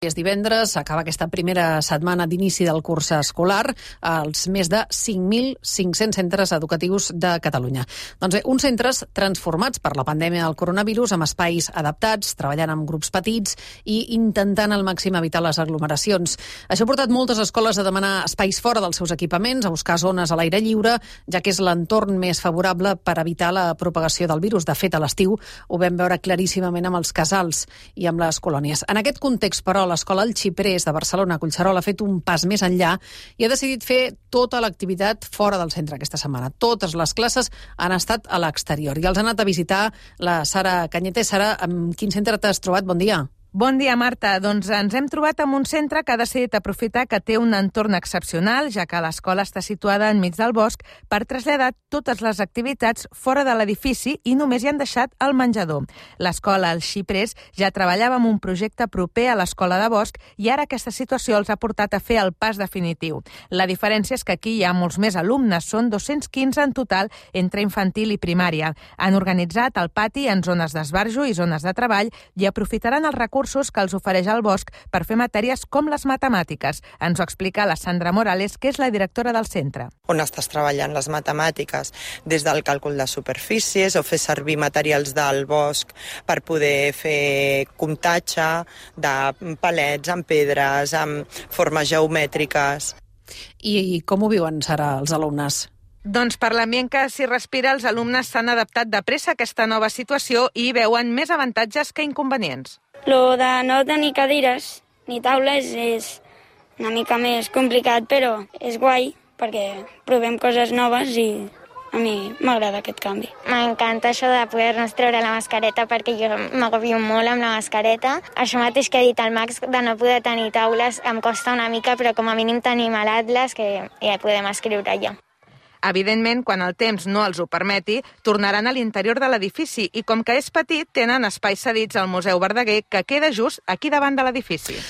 És divendres, s'acaba aquesta primera setmana d'inici del curs escolar als més de 5.500 centres educatius de Catalunya. Doncs bé, uns centres transformats per la pandèmia del coronavirus amb espais adaptats, treballant amb grups petits i intentant al màxim evitar les aglomeracions. Això ha portat moltes escoles a demanar espais fora dels seus equipaments, a buscar zones a l'aire lliure, ja que és l'entorn més favorable per evitar la propagació del virus. De fet, a l'estiu ho vam veure claríssimament amb els casals i amb les colònies. En aquest context, però, l'escola El Xiprés de Barcelona, a Collserola, ha fet un pas més enllà i ha decidit fer tota l'activitat fora del centre aquesta setmana. Totes les classes han estat a l'exterior i els ha anat a visitar la Sara Cañete. Sara, amb quin centre t'has trobat? Bon dia. Bon dia, Marta. Doncs ens hem trobat amb un centre que ha decidit aprofitar que té un entorn excepcional, ja que l'escola està situada enmig del bosc, per traslladar totes les activitats fora de l'edifici i només hi han deixat el menjador. L'escola El Xiprés ja treballava amb un projecte proper a l'escola de bosc i ara aquesta situació els ha portat a fer el pas definitiu. La diferència és que aquí hi ha molts més alumnes, són 215 en total entre infantil i primària. Han organitzat el pati en zones d'esbarjo i zones de treball i aprofitaran els recursos que els ofereix el bosc per fer matèries com les matemàtiques. Ens ho explica la Sandra Morales, que és la directora del centre. On estàs treballant les matemàtiques? Des del càlcul de superfícies o fer servir materials del bosc per poder fer comptatge de palets amb pedres, amb formes geomètriques. I com ho viuen, Sara, els alumnes? Doncs per l'ambient que s'hi respira, els alumnes s'han adaptat de pressa a aquesta nova situació i veuen més avantatges que inconvenients. Lo de no tenir cadires ni taules és una mica més complicat, però és guai perquè provem coses noves i a mi m'agrada aquest canvi. M'encanta això de poder-nos treure la mascareta perquè jo m'agobio molt amb la mascareta. Això mateix que ha dit el Max, de no poder tenir taules, em costa una mica, però com a mínim tenim l'Atlas que ja podem escriure allà. Evidentment, quan el temps no els ho permeti, tornaran a l'interior de l'edifici i com que és petit, tenen espais cedits al Museu Verdaguer que queda just aquí davant de l'edifici.